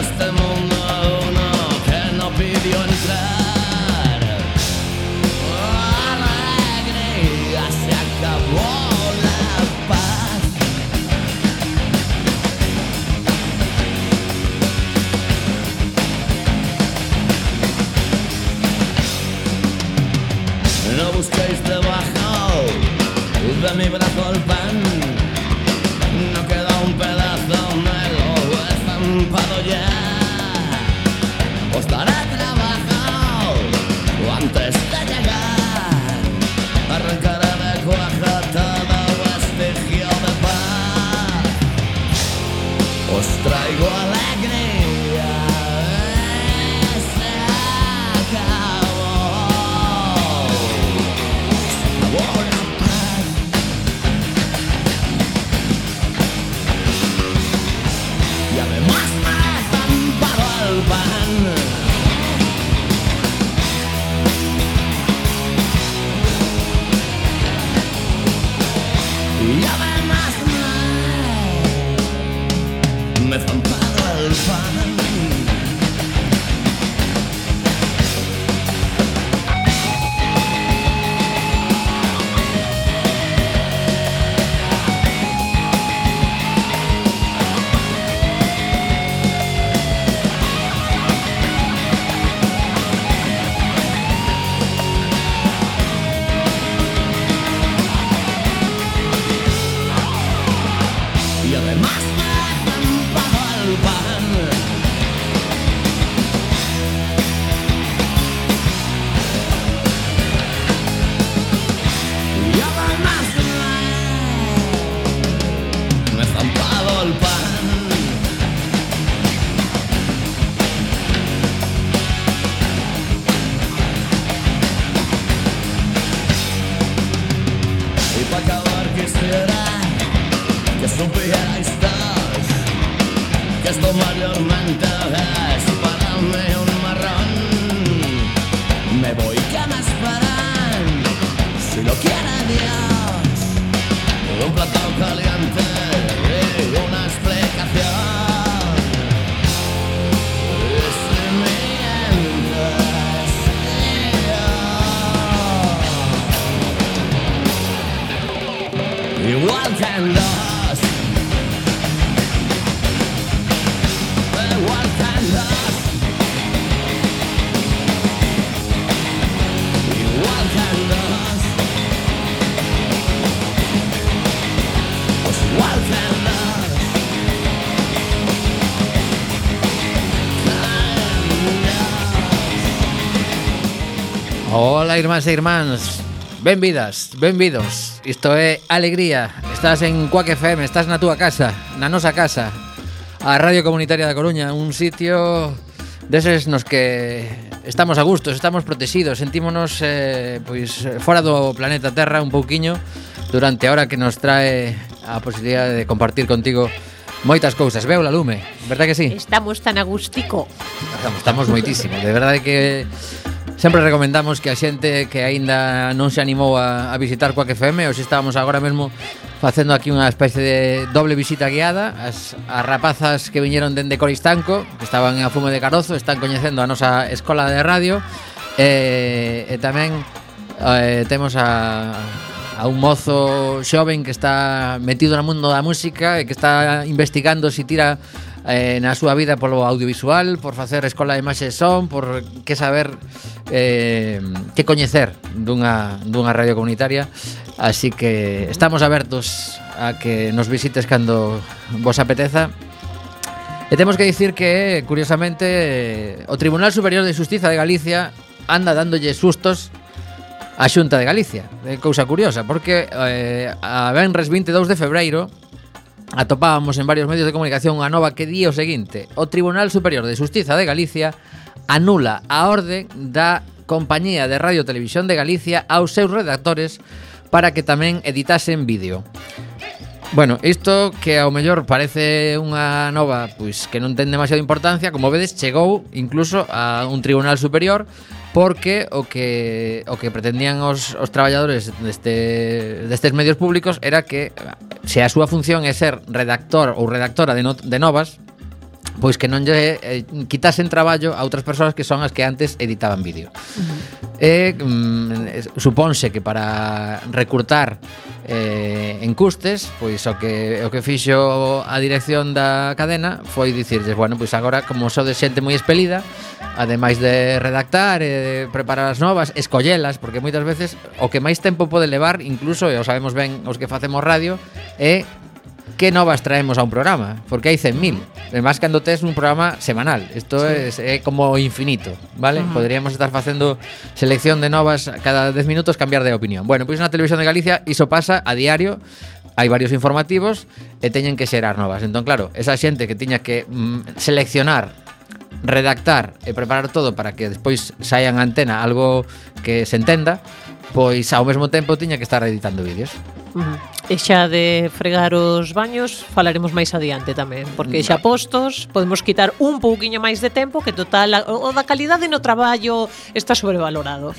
este mundo uno que no pidió entrar. Alegría, se acabó la paz. No busquéis debajo de mi brazo el pan. No queda un pedazo, me lo he estampado ya. Os daré trabajo antes de llegar. Arrancaré de cuajo todo vestigio de paz. Os traigo alegría. Se acabó. Se acabó la paz. Y además me he estampado el pan. Y además me he estampado el pan. Y además me he estampado el pan. Y además me he estampado el pan. Y para acabar quisiera que supierais todos que esto mayormente es para mí un marrón. Me voy, que me esperan, si lo quiere Dios, un plato caliente y una explicación. Y si mientes, igual que en los igual que en los igual que en los pues igual que en los. Hola, irmáns e irmáns. Benvidas, benvidos. Isto é Alegría. Estás en Cuac FM, estás na túa casa, na nosa casa, a Radio Comunitaria da Coruña, un sitio deses nos que estamos a gustos, estamos protegidos, sentímonos pois fora do planeta Terra un pouquiño durante a hora que nos trae a posibilidade de compartir contigo moitas cousas. Veu la lume, verdad que sí? Estamos tan agustico. Estamos moitísimo, de verdade que sempre recomendamos que a xente que aínda non se animou a visitar Cuac FM, hoxe estábamos agora mesmo facendo aquí unha especie de doble visita guiada. As rapazas que viñeron dende Coristanco, que estaban a Fume de Carozo, están coñecendo a nosa escola de radio, e tamén temos a un mozo xoven que está metido no mundo da música e que está investigando se tira na súa vida polo audiovisual, por facer escola de imaxe e son, por que saber, que coñecer dunha radio comunitaria. Así que estamos abertos a que nos visites cando vos apeteza. E temos que dicir que, curiosamente, o Tribunal Superior de Xustiza de Galicia anda dándolle sustos a Xunta de Galicia. É cousa curiosa, porque a venres 22 de febreiro atopábamos en varios medios de comunicación unha nova que di o seguinte: o Tribunal Superior de Xustiza de Galicia anula a orde da Compañía de Radio e Televisión de Galicia aos seus redactores para que tamén editasen vídeo. Bueno, isto que ao mellor parece unha nova pois que non ten demasiada importancia, como vedes, chegou incluso a un tribunal superior, porque o que pretendían os traballadores destes medios públicos era que, se a súa función é ser redactor ou redactora de novas, pois que non lle quitasen traballo a outras persoas que son as que antes editaban vídeo. Supónse que para recurtar en custes, pois o que fixo a dirección da cadena foi dicirles, bueno, pois agora como sodes xente moi expelida, ademais de redactar e de preparar as novas, escollelas, porque moitas veces o que máis tempo pode levar, incluso, e o sabemos ben os que facemos radio, é que novas traemos a un programa, porque hai 100.000. Además, cando tes un programa semanal, isto é como infinito, vale? Poderíamos estar facendo selección de novas cada 10 minutos, cambiar de opinión. Bueno, pois na Televisión de Galicia iso pasa a diario, hai varios informativos e teñen que xerar novas. Entón, claro, esa xente que tiña que seleccionar, redactar e preparar todo para que despois saia en antena algo que se entenda, pois ao mesmo tempo tiña que estar editando vídeos. E xa de fregar os baños falaremos máis adiante tamén, porque xa postos podemos quitar un pouquiño máis de tempo, que total o da calidade no traballo está sobrevalorado.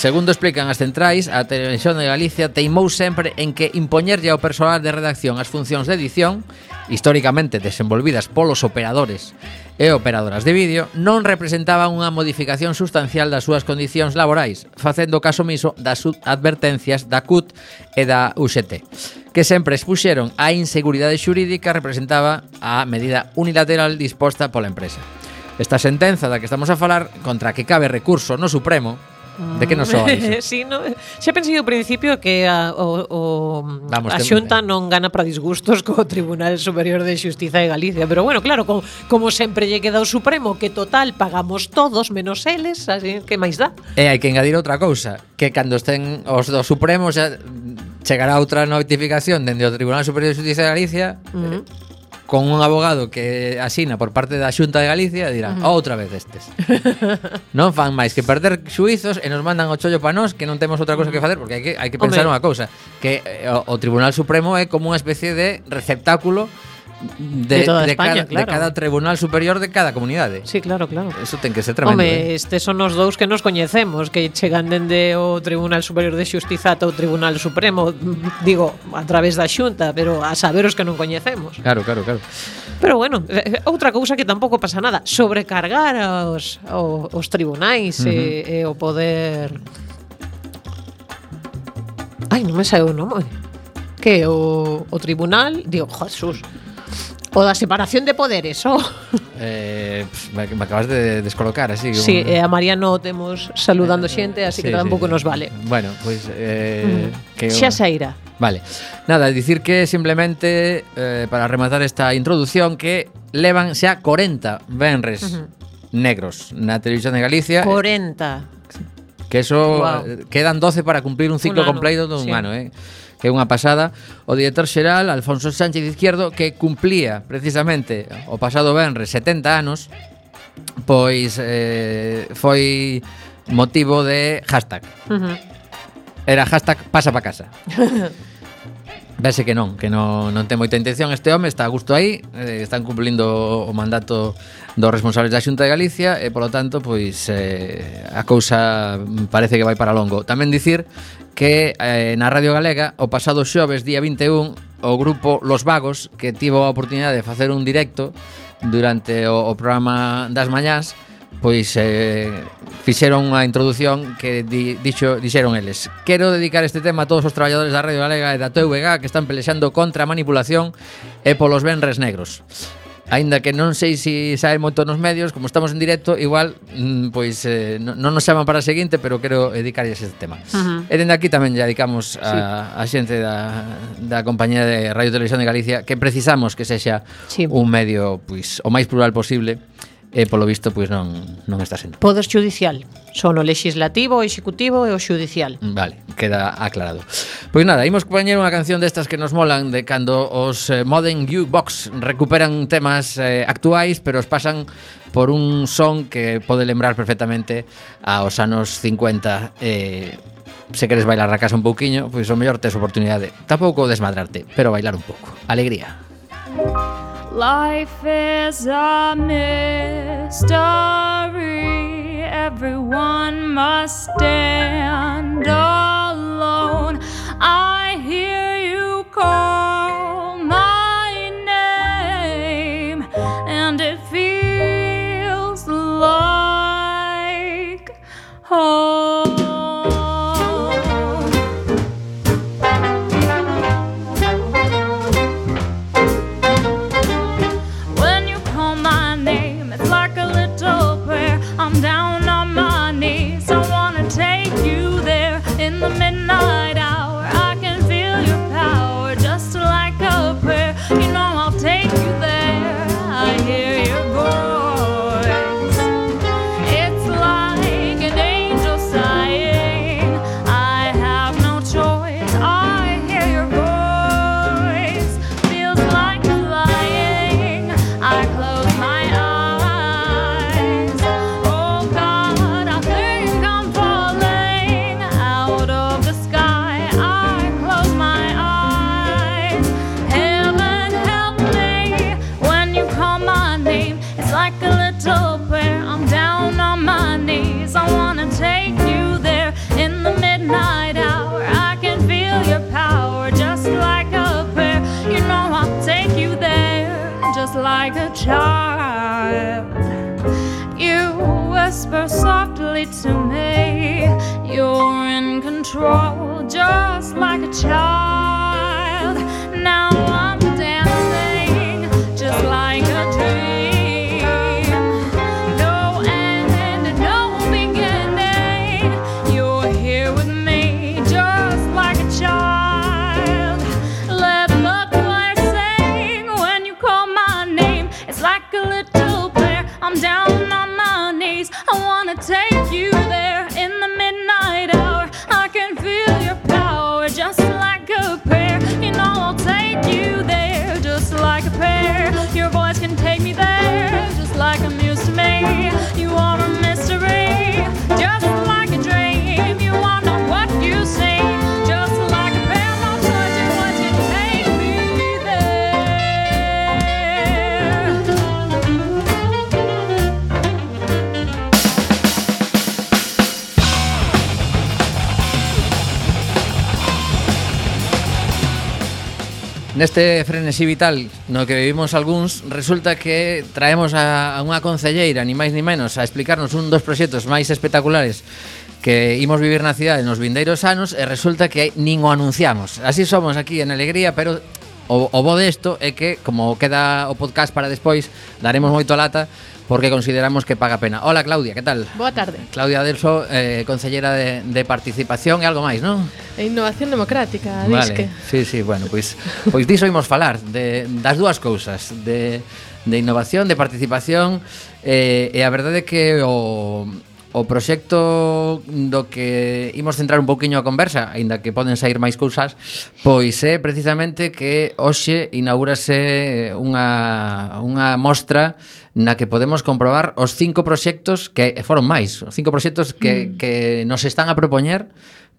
Segundo explican as centrais, a Televisión de Galicia teimou sempre en que impoñerlle ao persoal de redacción as funcións de edición, históricamente desenvolvidas polos operadores e operadoras de vídeo, non representaban unha modificación sustancial das súas condicións laborais, facendo caso omiso das advertencias da CUT e da UGT, que sempre expuxeron a inseguridade xurídica representaba a medida unilateral disposta pola empresa. Esta sentenza da que estamos a falar, contra a que cabe recurso no Supremo, de que non soa iso? Sí, no, xa pensei ao principio que a Xunta non gana para disgustos co Tribunal Superior de Xustiza de Galicia, pero bueno, claro, como sempre lle queda o Supremo, que total pagamos todos menos eles, así que máis dá. E hai que engadir outra cousa, que cando estén os do Supremo xa chegará outra notificación dende o Tribunal Superior de Xustiza de Galicia, con un abogado que asina por parte da Xunta de Galicia, dirán, outra vez estes. Non fan máis que perder xuizos e nos mandan o chollo pa nós, que non temos outra cousa que facer, porque hai que pensar unha cousa, que o Tribunal Supremo é como unha especie de receptáculo de cada tribunal superior de cada comunidade. Sí, claro. Eso ten que ser tremendo. Estes son os dous que nos coñecemos, que chegan dende o Tribunal Superior de Xustiza ata o Tribunal Supremo, digo, a través da Xunta, pero a saber os que non coñecemos. Claro. Pero bueno, outra cousa que tampouco pasa nada, sobrecargar os tribunais e o poder... Ai, non me sabe o nome. Que o tribunal, digo, Jesús, o da separación de poderes, me acabas de descolocar así. Sí, a Mariano temos saludando xente, así que tampouco nos vale. Bueno, pois xa sairá. Vale. Nada, dicir que simplemente para rematar esta introducción, que levan xa 40 venres negros na Televisión de Galicia. 40. Que eso quedan 12 para cumplir un ciclo completo dun ano, que é unha pasada. O director xeral, Alfonso Sánchez Izquierdo, que cumplía precisamente o pasado venres 70 anos, pois foi motivo de hashtag. Era hashtag pasa pa casa. Vese que non ten moita intención este home, está a gusto aí, están cumplindo o mandato dos responsables da Xunta de Galicia e, polo tanto, pois a cousa parece que vai para longo. Tamén dicir que na Radio Galega o pasado xoves, día 21, o grupo Los Vagos, que tivo a oportunidade de facer un directo durante o programa das mañás, pois fixeron unha introducción que dixeron eles: quero dedicar este tema a todos os traballadores da Radio Galega e da TVG que están pelexando contra a manipulación e polos venres negros. Aínda que non sei se sae moito nos medios, como estamos en directo, igual pois non nos chaman para a seguinte, pero quero dedicarlles este tema. E dende aquí tamén lle dedicamos a xente da compañía de Radio Televisión de Galicia, que precisamos que sexa un medio pois o máis plural posible. E polo visto pois non está sendo. Poder judicial, son o legislativo, o executivo e o judicial. Vale, queda aclarado. Pois nada, imos poñer unha canción destas que nos molan, de cando os Modern Jukebox recuperan temas actuais, pero os pasan por un son que pode lembrar perfectamente aos anos 50. Se queres bailar a casa un pouquiño, pois o mellor tes oportunidade. Tampouco desmadrarte, pero bailar un pouco. Alegría. Life is a mystery. Everyone must stand alone. I hear you call my name, and it feels little prayer. I'm down on my knees. I wanna take you there in the midnight hour. I can feel your power just like a prayer. You know I'll take you there just like a child. You whisper softly to me. You're in control just like a child. Now I'm dancing just like a dream. No end and no beginning. You're here with me just like a child. Let the choir sing when you call my name. It's like a little prayer. I'm down on my knees. I wanna take you there in the midnight hour. I can feel your power just like a prayer. You know I'll take you there just like a prayer. Your voice can take me there just like a muse to me. You are a mystery, just like a dream. You are not what you see, just like a prayer. No choice, your voice can take me there. Neste frenesí vital no que vivimos algúns, resulta que traemos a unha concelleira, ni máis ni menos, a explicarnos un dos proxectos máis espectaculares que imos vivir na cidade nos vindeiros anos, e resulta que nin o anunciamos. Así somos aquí en Alegría, pero o bo desto é que, como queda o podcast para despois, daremos moito a lata, porque consideramos que paga pena. Hola, Claudia, que tal? Boa tarde. Claudia Adelso, concellera de participación e algo máis, non? E innovación democrática, vale. disque. Sí, bueno, pois diso imos falar, das dúas cousas, de innovación, de participación, e a verdade é que o proxecto do que imos centrar un pouquiño a conversa, aínda que poden sair máis cousas, pois é precisamente que hoxe inaugúrase unha mostra na que podemos comprobar os 5 proxectos que foron máis, os 5 proxectos que nos están a propoñer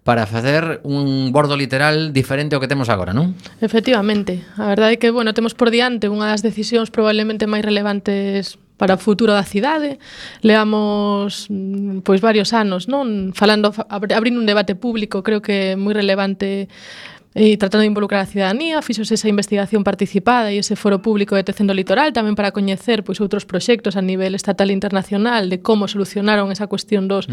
para facer un bordo literal diferente ao que temos agora, non? Efectivamente. A verdade é que, bueno, temos por diante unha das decisións probablemente máis relevantes para o futuro da cidade. Leamos pois varios anos, non, falando, abrindo un debate público, creo que moi relevante, e tratando de involucrar a cidadanía. Fixose esa investigación participada e ese foro público de Tecendo Litoral tamén para coñecer pois outros proxectos a nivel estatal e internacional de como solucionaron esa cuestión dos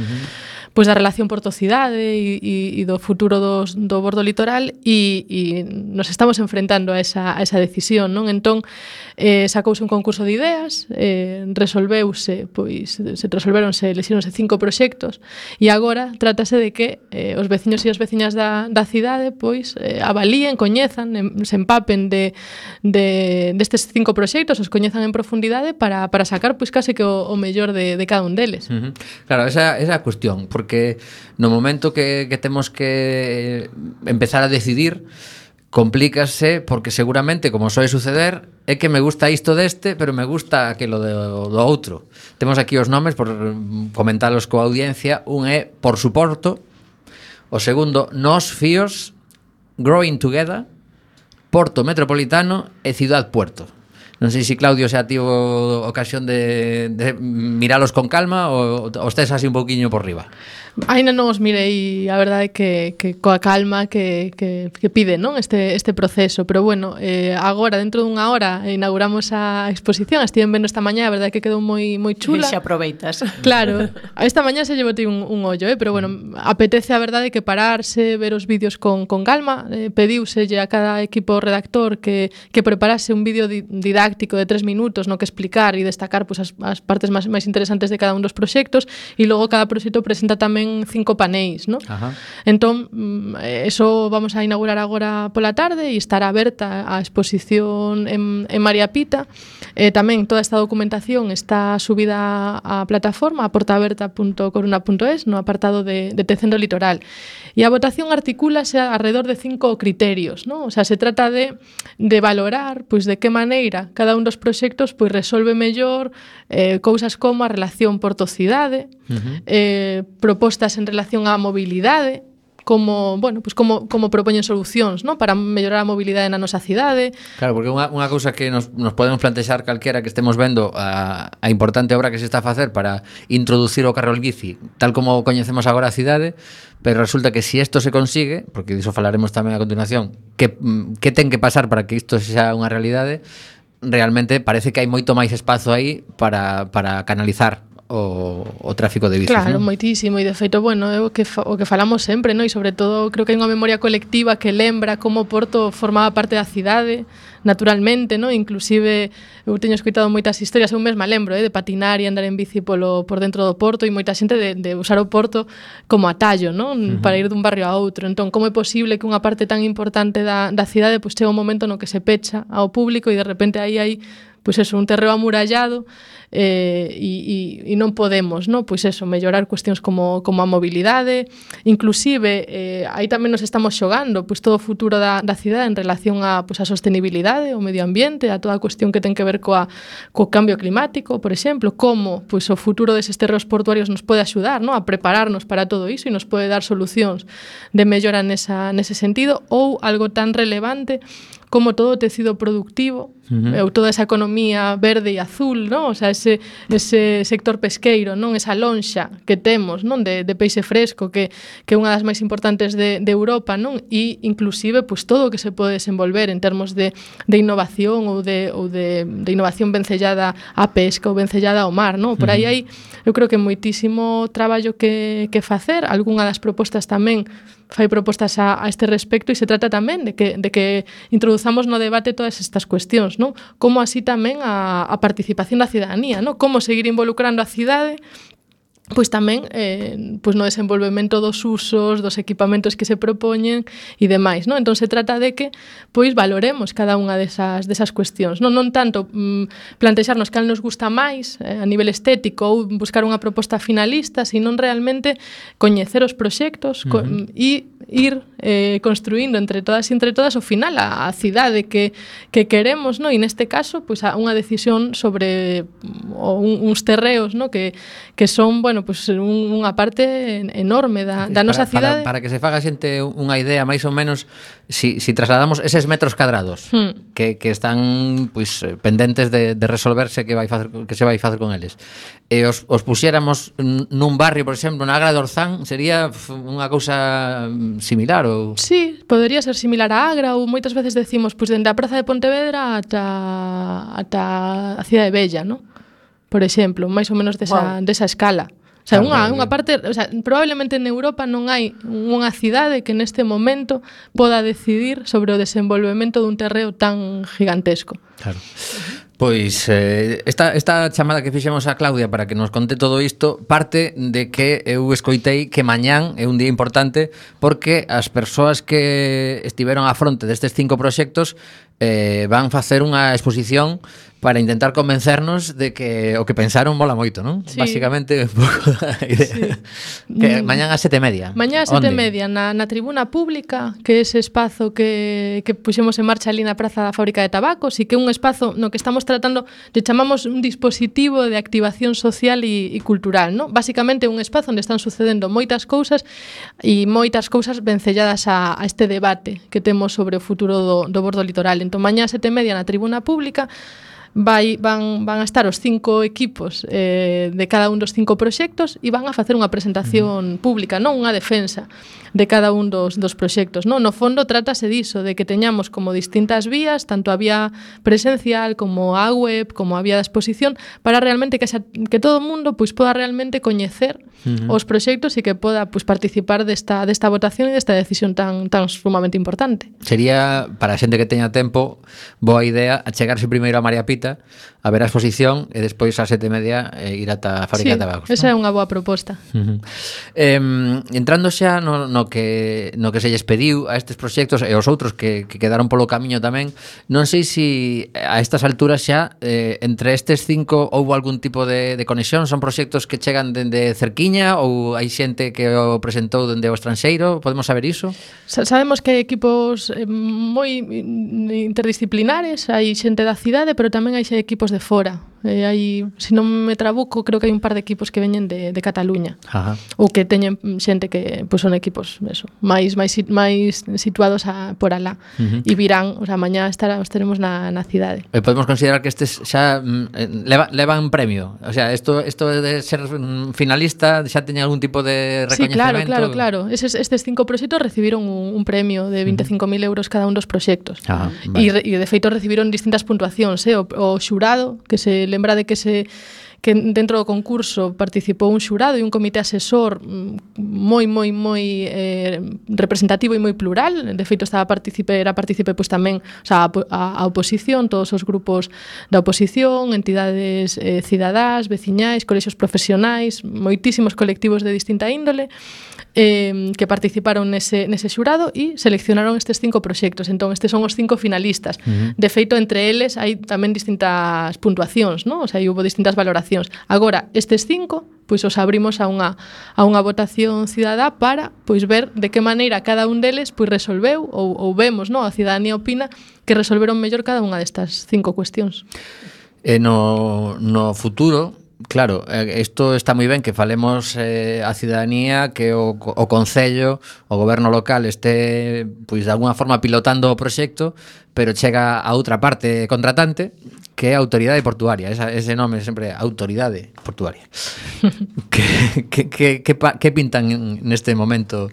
pois da relación porto-cidade e do futuro do bordo litoral, e nos estamos enfrentando a esa decisión, non? Entón, sacouse un concurso de ideas, lexíronse 5 proxectos, e agora trátase de que os veciños e as veciñas da cidade pois avalíen, coñezan, se empapen destes 5 proxectos, os coñezan en profundidade para sacar pois case que o mellor de cada un deles. Claro, esa é a cuestión, porque no momento que temos que empezar a decidir, complícase, porque seguramente, como soe suceder, é que me gusta isto deste, pero me gusta aquilo do outro. Temos aquí os nomes, por comentalos coa audiencia. Un é Por Suporto, o segundo Nós Fíos, Growing Together, Porto Metropolitano e Ciudad Puerto. Non sei se Claudio xa tivo ocasión de miralos con calma ou estés así un pouquiño por riba. Ainda non os mirei, a verdade que coa calma que pide, non, este proceso, pero bueno, agora dentro dunha hora inauguramos a exposición. Estiven vendo esta mañá, a verdade que quedou moi chula. E xa aproveitas. Claro, esta mañá se llevotei un ollo, pero bueno, apetece a verdade que pararse, ver os vídeos con calma. Pediuselle a cada equipo redactor que preparase un vídeo didáctico de 3 minutos no que explicar e destacar pues, as partes máis interesantes de cada un dos proxectos, e logo cada proxecto presenta tamén 5 paneis, ¿no? Ajá. Entón, eso vamos a inaugurar agora pola tarde e estará aberta a exposición en María Pita. Tamén toda esta documentación está subida á plataforma a portaaberta.coruna.es no apartado de Tecendo Litoral. E a votación articúlase alrededor de 5 criterios, ¿no? O sea, se trata de valorar pois de que maneira cada un dos proxectos pois resolve mellor cousas como a relación porto-cidade, propostas en relación á mobilidade, como, bueno, pues como propoñen solucións, non? Para mellorar a mobilidade na nosa cidade. Claro, porque unha cousa que nos podemos plantexar calquera que estemos vendo a importante obra que se está a facer para introducir o carril bici tal como coñecemos agora a cidade, pero resulta que si isto se consigue, porque diso falaremos tamén a continuación, que ten que pasar para que isto sea unha realidade, realmente parece que hai moito máis espazo aí para canalizar o tráfico de bicis, claro, non? moitísimo, e de feito, bueno, é o que falamos sempre, non? E sobre todo creo que hai unha memoria colectiva que lembra como Porto formaba parte da cidade naturalmente, non? Inclusive eu teño escoitado moitas historias, eu mesma lembro, de patinar e andar en bici por dentro do Porto, e moita xente de usar o Porto como atallo, non? Para ir dun barrio a outro. Entón, como é posible que unha parte tan importante da cidade pois chega un momento no que se pecha ao público e de repente aí hai pois eso, un terreo amurallado e non podemos, non? Pois eso, mellorar cuestións como a mobilidade, inclusive aí tamén nos estamos xogando pois todo o futuro da cidade en relación a pois a sostenibilidade, o medio ambiente, a toda a cuestión que ten que ver co cambio climático, por exemplo, como pois o futuro deses terreos portuarios nos pode axudar, non? A prepararnos para todo iso e nos pode dar solucións de mellora nese sentido, ou algo tan relevante como todo o tecido productivo, ou toda esa economía verde e azul, non? O sea, ese sector pesqueiro, non? Esa lonxa que temos, non? De peixe fresco, que é unha das máis importantes de Europa, non? E inclusive, pois, todo o que se pode desenvolver en termos de innovación ou de innovación vencellada á pesca ou vencellada ao mar, non? Por aí hai, eu creo que moitísimo traballo que facer, algunha das propostas tamén fai propostas a este respecto, e se trata tamén de que introduzamos no debate todas estas cuestións, non? Como así tamén a participación da cidadanía, non? Como seguir involucrando a cidade pois tamén pois no desenvolvemento dos usos, dos equipamentos que se propoñen e demais, non? Entón se trata de que pois valoremos cada unha desas cuestións, non tanto plantexarnos cal nos gusta máis a nivel estético ou buscar unha proposta finalista, sino realmente coñecer os proxectos e ir construindo entre todas e entre todas ao final a cidade que queremos, non? E neste caso pois unha decisión sobre uns terreos, non? Que son, bueno, pues unha parte enorme da nosa cidade. Para que se faga xente unha idea máis ou menos, si trasladamos eses metros cadrados que están pois pendentes de resolverse que se vai facer con eles, e os puxéramos nun barrio, por exemplo, na Agra de Orzán, sería unha cousa similar ou... Sí, podería ser similar a Agra, ou moitas veces decimos pois dende a Praza de Pontevedra ata a Cidade Bella, non? Por exemplo, máis ou menos desa escala. O sea, unha parte, o sea, probablemente en Europa non hai unha cidade que neste momento poda decidir sobre o desenvolvemento dun terreo tan gigantesco. Claro. Pois esta chamada que fixemos a Claudia para que nos conte todo isto parte de que eu escoitei que mañán é un día importante porque as persoas que estiveron á fronte destes 5 proxectos van facer unha exposición para intentar convencernos de que o que pensaron mola moito, non? Sí. Básicamente un pouco da idea. Sí. Que mañán ás 7:30. Mañán ás 7:30 na tribuna pública, que é ese espazo que puxemos en marcha ali na Praza da Fábrica de Tabacos, e que é un espazo no que estamos tratando, lle chamamos un dispositivo de activación social e cultural, non? Básicamente un espazo onde están sucedendo moitas cousas e moitas cousas vencelladas a este debate que temos sobre o futuro do bordo litoral. Entón, mañá ás 7:30 na tribuna pública van a estar os 5 equipos de cada un dos 5 proxectos e van a facer unha presentación pública, non unha defensa de cada un dos proxectos, non? No fondo trátase diso, de que teñamos como distintas vías, tanto a vía presencial como a web, como a vía de exposición, para realmente que todo o mundo pois poda realmente coñecer os proxectos e que poda pois participar desta votación e desta decisión tan sumamente importante. Sería, para a xente que teña tempo, boa idea achegarse primeiro a María Pita a ver a exposición e despois ás 7:30 ir ata a Fábrica de Tabacos. Esa é unha boa proposta. Entrando xa no que se lles pediu a estes proxectos e aos outros que quedaron polo camiño tamén, non sei se a estas alturas xa entre estes 5 houbo algún tipo de conexión, son proxectos que chegan dende cerquiña ou hai xente que o presentou dende o estranxeiro, podemos saber iso? Sabemos que hai equipos moi interdisciplinares, hai xente da cidade, pero tamén hai equipos de fora. Hai, se non me trabuco, creo que hai un par de equipos que veñen de Cataluña. Ou que teñen xente que pois son equipos eso, máis situados por alá. E virán, o sea, mañá estaremos na cidade. Podemos considerar que estes xa levan premio. O sea, isto de ser finalista xa teña algún tipo de recoñecemento. Sí, claro. Estes 5 proxectos recibiron un premio de 25.000 euros cada un dos proxectos. E de feito recibiron distintas puntuacións. O xurado, que se lembra de que dentro do concurso participou un xurado e un comité asesor moi representativo e moi plural. De feito era partícipe pois tamén, o sea, a oposición, todos os grupos da oposición, entidades cidadás, veciñais, colexios profesionais, moitísimos colectivos de distinta índole que participaron nese xurado e seleccionaron estes 5 proxectos. Entón, estes son os 5 finalistas. De feito, entre eles hai tamén distintas puntuacións, non? O sea, houve distintas valoracións. Agora, estes 5, pois os abrimos a unha votación cidadá para pois ver de que maneira cada un deles pois resolveu ou vemos, non? A cidadanía opina que resolveron mellor cada unha destas 5 cuestións. No futuro, claro, isto está moi ben que falemos a cidadanía, que o Concello, o goberno local este pois de alguna forma pilotando o proxecto, pero chega a outra parte contratante, que é a Autoridade Portuaria. Ese nome sempre é Autoridade Portuaria. Que pintan neste momento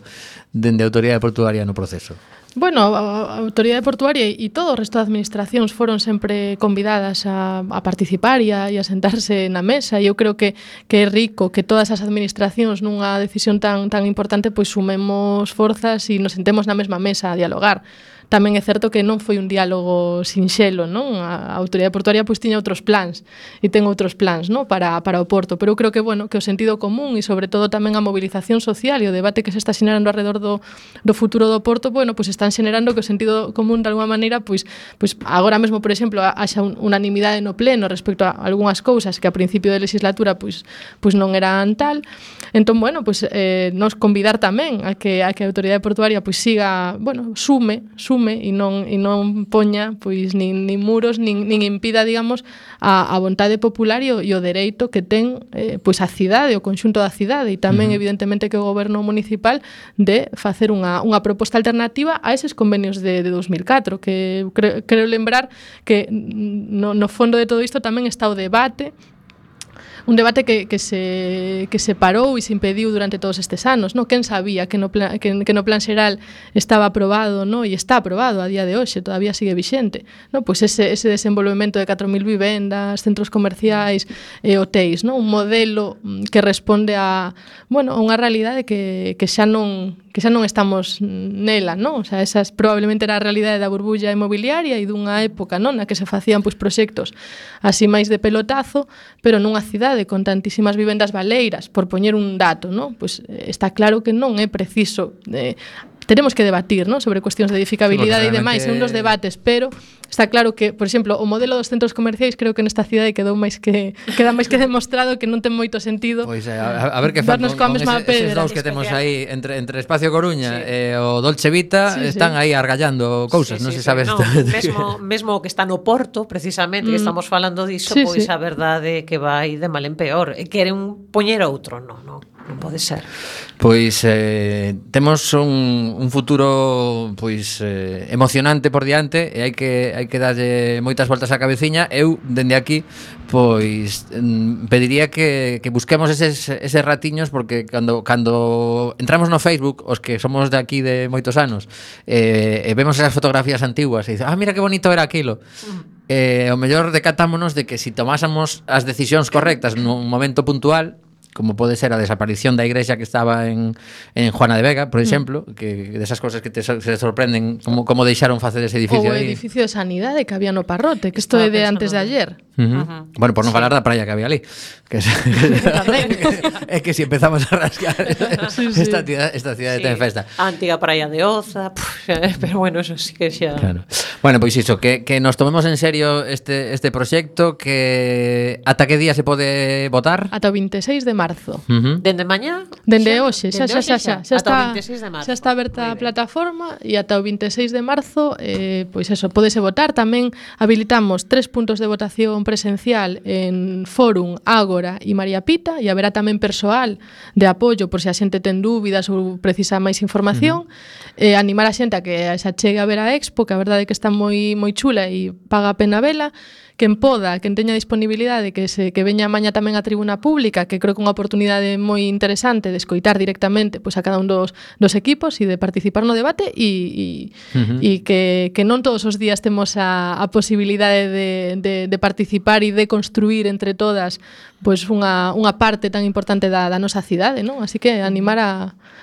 dende a Autoridade Portuaria no proceso? Bueno, a Autoridade Portuaria e todo o resto de administracións foron sempre convidadas a participar e a sentarse na mesa, e eu creo que é rico que todas as administracións nunha decisión tan importante pois sumemos forzas e nos sentemos na mesma mesa a dialogar. Tamén é certo que non foi un diálogo sinxelo, non? A Autoridade Portuaria pois tiña outros plans e ten outros plans, non? Para o Porto, pero eu creo que que o sentido común e sobre todo tamén a mobilización social e o debate que se está xenerando alrededor do futuro do Porto, pois están xenerando que o sentido común de alguma maneira pois agora mesmo, por exemplo, haxa unanimidade no pleno respecto a algunhas cousas que a principio de legislatura pois non eran tal. Entón, nos convidar tamén a que a Autoridade Portuaria pois siga, sume e non poña pois nin muros nin impida, digamos, a vontade popular e o dereito que ten pois a cidade, o conxunto da cidade, e tamén evidentemente que o goberno municipal de facer unha proposta alternativa a eses convenios de 2004, que creo lembrar que no fondo de todo isto tamén está o debate. Un debate que se parou e se impediu durante todos estes anos, non? Quen sabía que no plan xeral estaba aprobado, non? E está aprobado a día de hoxe, todavía sigue vixente, non? Pois ese desenvolvemento de 4.000 vivendas, centros comerciais e hotéis, non? Un modelo que responde a unha realidade que xa non estamos nela, non? O sea, esa probablemente era a realidade da burbulla inmobiliaria e dunha época, non, na que se facían pois proxectos así máis de pelotazo, pero nunha cidade con tantísimas vivendas baleiras, por poñer un dato, non? Pois está claro que non é preciso teremos que debatir, non, sobre cuestións de edificabilidade e demais, en uns debates, pero está claro que, por exemplo, o modelo dos centros comerciais creo que nesta cidade queda máis que demostrado que non ten moito sentido. Pois a ver que fan con eses dous que temos aí entre Espacio Coruña e o Dolce Vita, están aí argallando cousas, non se sabe. Mesmo que está no Porto, precisamente, que estamos falando diso, pois a verdade que vai de mal en peor, e queren poñer outro, non pode ser. Pois temos un futuro pois emocionante por diante e hai que darlle moitas voltas á cabeciña. Eu, dende aquí, pois pediría que busquemos eses ratiños, porque cando entramos no Facebook, os que somos de aquí de moitos anos, e vemos esas fotografías antiguas e dices, mira que bonito era aquilo. O mellor decatámonos de que si tomásemos as decisións correctas nun momento puntual, como pode ser a desaparición da igrexa que estaba en Juana de Vega, por exemplo, que desas cousas que se sorprenden como deixaron facer ese edificio aí. O edificio de sanidade que había no Parrote, que isto é de antes de ayer. Bueno, por non falar da praia que había ali, que é que si empezamos a rascar esta cidade ten festa. A antiga praia de Oza, pero bueno, eso sí que xa. Claro. Bueno, pois iso, que nos tomemos en serio este proxecto, que ata que día se pode votar? Ata o 26 de marzo. Dende mañá? Dende hoxe, xa está. Xa está aberta a plataforma e ata o 26 de marzo, pois eso, pódese votar. Tamén habilitamos 3 puntos de votación formación presencial en Fórum, Ágora e María Pita, e haberá tamén persoal de apoio por se a xente ten dúbidas ou precisa máis información. Animar a xente a que se achegue a ver a Expo, que a verdade é que está moi chula e paga a pena vela. Quen poda, quen teña disponibilidade, que veña maña tamén a tribuna pública, que creo que é unha oportunidade moi interesante de escoitar directamente pois, a cada un dos equipos e de participar no debate e que non todos os días temos a posibilidade de participar e de construir entre todas pois unha parte tan importante da nosa cidade, non? Así que animar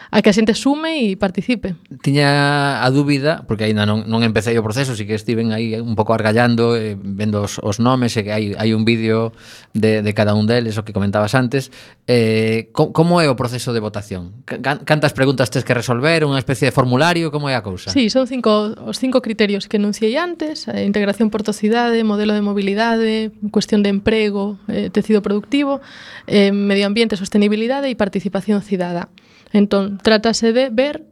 a que a xente sume e participe. Tiña a dúbida, porque aínda non empecé o proceso, si que estiven aí un pouco argallando, vendo os nomes, e que hai un vídeo de cada un deles, o que comentabas antes. Como é o proceso de votación? Cantas preguntas tes que resolver? Unha especie de formulario? Como é a cousa? Sí, son os 5 criterios que enunciei antes: integración por tocidade, modelo de mobilidade, cuestión de emprego, tecido productivo, medio ambiente, sostenibilidade e participación cidadá. Entón, trátase de ver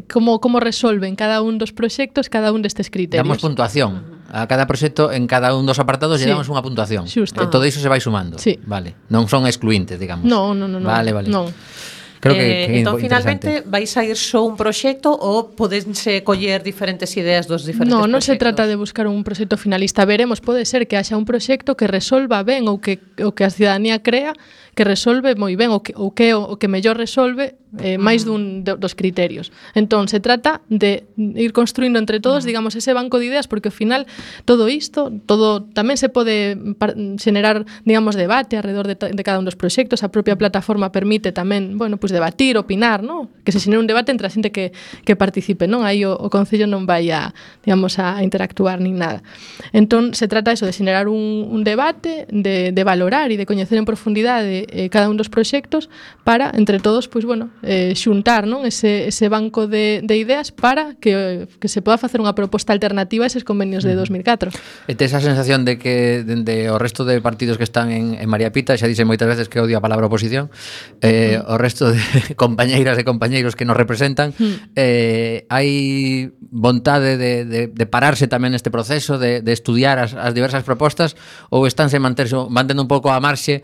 como resolven cada un dos proxectos cada un destes criterios. Damos puntuación a cada proxecto en cada un dos apartados, lle damos unha puntuación. Xusto. Todo iso se vai sumando. Sí. Vale. Non son excluintes, digamos. No. Vale. Non. Creo que entón, finalmente, vais a ir só un proxecto ou podense coller diferentes ideas dos diferentes proxectos? Non se trata de buscar un proxecto finalista. Veremos, pode ser que haxa un proxecto que resolva ben ou que a cidadanía crea que resolve moi ben o que mellor resolve máis dos criterios. Entón, se trata de ir construindo entre todos, digamos, ese banco de ideas, porque ao final todo tamén se pode xenerar, digamos, debate alrededor de cada un dos proxectos. A propia plataforma permite tamén, bueno, pues debatir, opinar, ¿no? Que se xenere un debate entre a xente que participe, non? Aí o Concello non vai a, digamos, a interactuar nin nada. Entón, se trata eso de xenerar un debate, de valorar e de coñecer en profundidade cada un dos proxectos para, entre todos, pues, bueno, xuntar, non? Ese banco de ideas para que se poda facer unha proposta alternativa a eses convenios de 2004. E tes a sensación de que dende o resto de partidos que están en María Pita, xa dixen moitas veces que odio a palabra oposición, o resto de compañeiras e compañeiros que nos representan, hai vontade de pararse tamén neste proceso, de estudiar as diversas propostas, ou estánse mantendo un pouco a marxe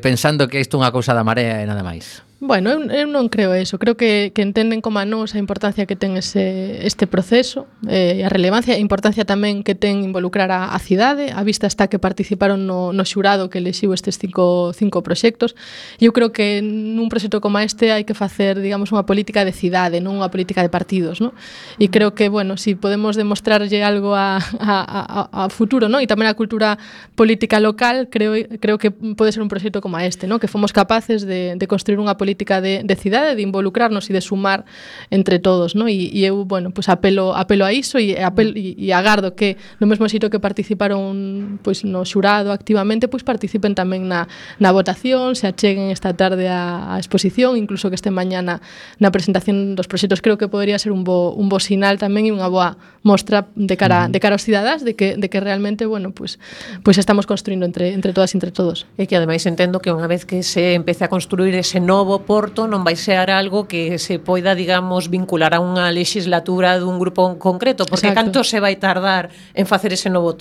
pensando que isto é unha cousa da marea e nada máis? Bueno, eu non creo eso. Creo que entenden como a nós a importancia que ten este proceso, a relevancia e a importancia tamén que ten involucrar a cidade. A vista está que participaron no xurado que elixiu estes cinco proxectos. E eu creo que nun proxecto como este hai que facer, digamos, unha política de cidade, non unha política de partidos, non? E creo que, bueno, si podemos demostrarlle algo a futuro, non? E tamén a cultura política local, creo que pode ser un proxecto como este, non? Que fomos capaces de construir unha política de cidade, de involucrarnos e de sumar entre todos, ¿no? E eu, bueno, pues apelo a iso e agardo que no mesmo xito que participaron pues no xurado activamente, pues participen tamén na votación, se acheguen esta tarde a exposición, incluso que estén mañana na presentación dos proxectos. Creo que podría ser un bo sinal tamén e unha boa mostra de cara aos cidadás de que realmente, bueno, pues estamos construindo entre todas e entre todos. E que ademais entendo que unha vez que se empece a construir ese novo porto non vai ser algo que se poida, digamos, vincular a unha legislatura dun grupo concreto, porque Exacto. canto se vai tardar en facer ese novo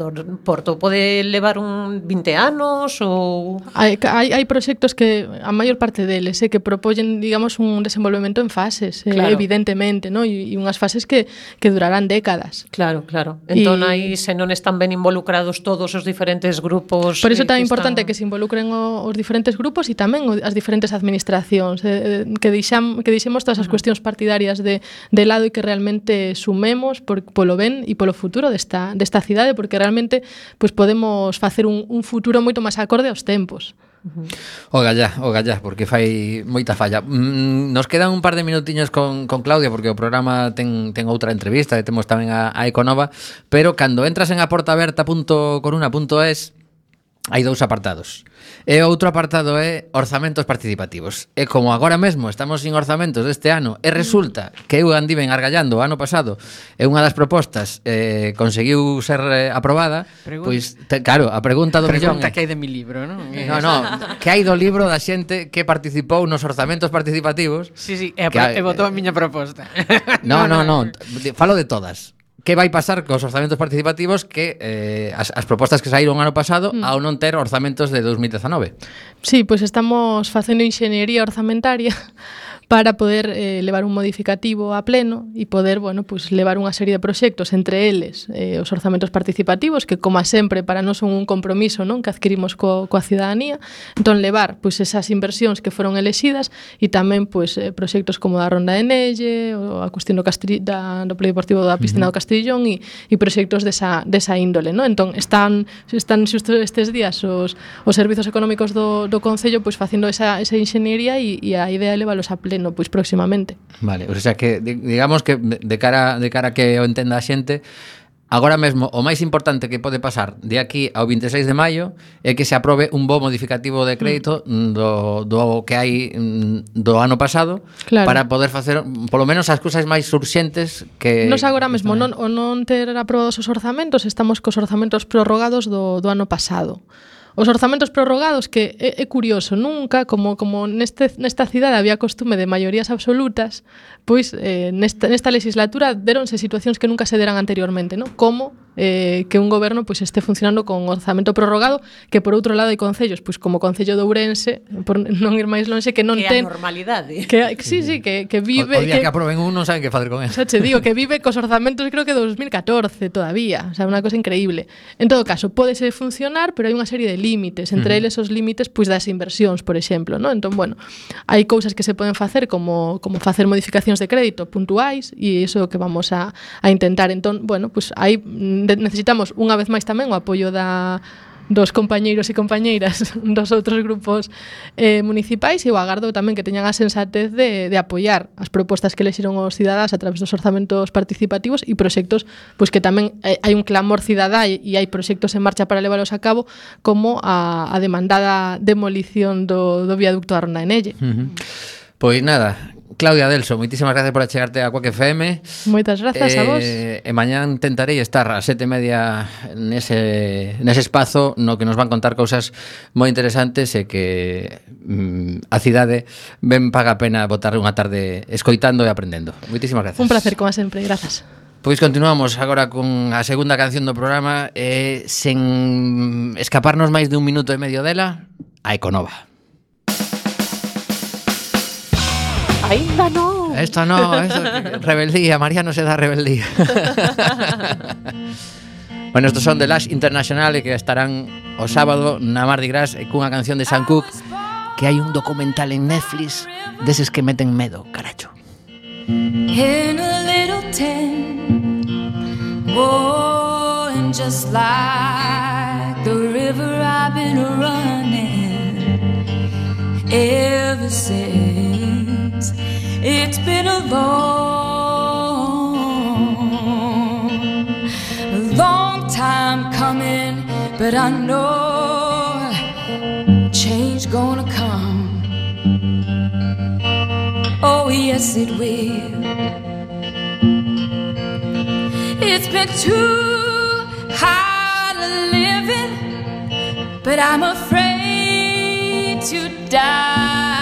porto? Pode levar 20 anos ou... Hai proxectos que, a maior parte deles, que propoñen, digamos, un desenvolvemento en fases, claro. Evidentemente, ¿no? E unhas fases que durarán décadas. Claro. Entón, aí, se non están ben involucrados todos os diferentes grupos... Por iso é tan importante que se involucren os diferentes grupos e tamén as diferentes administracións, que deixemos todas as cuestións partidarias de lado e que realmente sumemos polo ben e polo futuro desta cidade, porque realmente pues, podemos facer un futuro moito máis acorde aos tempos. O gallá, porque fai moita falla. Nos quedan un par de minutiños con Claudia, porque o programa ten outra entrevista e temos tamén a Econova, pero cando entras en aportaberta.coruna.es hai dous apartados. E outro apartado é orzamentos participativos. E como agora mesmo estamos sin orzamentos deste ano e resulta que eu andiven argallando o ano pasado e unha das propostas conseguiu ser aprobada, pois, claro, a pregunta do millón que hai de mi libro, non? No, que hai do libro da xente que participou nos orzamentos participativos. Sí, e votou a miña proposta. No, falo de todas. que vai pasar cos orzamentos participativos que as propostas que saíron ano pasado ao non ter orzamentos de 2019. Sí, pois estamos facendo inxeniería orzamentaria para poder levar un modificativo a pleno e poder, bueno, pues levar unha serie de proxectos, entre eles os orzamentos participativos, que como sempre para nós son un compromiso, non, que adquirimos coa cidadanía. Entón levar pois esas inversións que foron elexidas e tamén pois proxectos como da Ronda de Nelle, ou a cuestión do polideportivo da Piscina do Castrillón e proxectos desa índole, non? Entón están xusto estes días os servizos económicos do Concello pois facendo esa inxeniería e a idea é levalos a pleno pois próximamente. Vale, o sea que digamos que de cara que o entenda a xente, agora mesmo o máis importante que pode pasar de aquí ao 26 de maio é que se aprobe un bo modificativo de crédito do que hai do ano pasado, claro, para poder facer polo menos as cousas máis urxentes que nos agora mesmo non ter aprobados os orzamentos, estamos cos orzamentos prorrogados do ano pasado. Os orzamentos prorrogados, que é curioso, nunca, como nesta cidade había costume de maiorías absolutas, pois nesta legislatura deronse situacións que nunca se deran anteriormente, non? Como que un goberno pois este funcionando con orzamento prorrogado, que por outro lado hai concellos, pois como o Concello de Ourense, por non ir máis lonxe, que non que ten a normalidade. Que vive o día que aproben un non saben que facer con él. Xa che digo que vive cos orzamentos creo que 2014 todavía, o sea, unha cosa increíble. En todo caso, pódese funcionar, pero hai unha serie de límites, entre eles os límites pois das inversións, por exemplo, non? Entón, bueno, hai cousas que se poden facer como facer modificacións de crédito puntuais e iso é o que vamos a intentar. Entón, bueno, pois aí necesitamos unha vez máis tamén o apoio dos compañeiros e compañeiras dos outros grupos municipais e o agardo tamén que teñan a sensatez de apoiar as propostas que lexiron os cidadáns a través dos orzamentos participativos e proxectos pois que tamén hai un clamor cidadá e hai proxectos en marcha para leválos a cabo, como a demandada demolición do viaducto da Ronda de Nelle. Pois nada, Claudia Delso, moitísimas gracias por achegarte a Quack FM. Moitas grazas a vos. E mañán tentarei estar a 7:30 nese espazo no que nos van contar cousas moi interesantes e que a cidade ben paga a pena botar unha tarde escoitando e aprendendo. Moitísimas gracias. Un placer, como sempre, grazas. Pois continuamos agora con a segunda canción do programa sen escaparnos máis de un minuto e medio dela, a Econova. Ainda no. Esto no, rebeldía, María no se da rebeldía. Bueno, estos son The Lash International que estarán o sábado na Mardi Gras cunha canción de Sam Cooke, que hai un documental en Netflix deses que meten medo, caracho. In a little tent, oh, and just like the river I've been running ever since. It's been a long time coming, but I know change gonna come. Oh yes it will. It's been too hard living, but I'm afraid to die.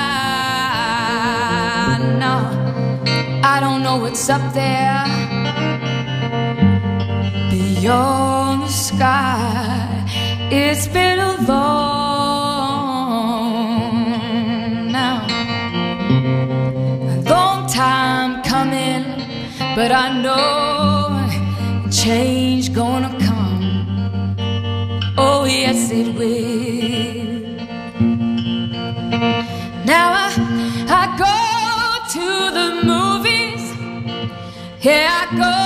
No, I don't know what's up there beyond the sky. It's been a long time coming, but I know change gonna come. Oh yes it will. Now I go to the movies, yeah, I go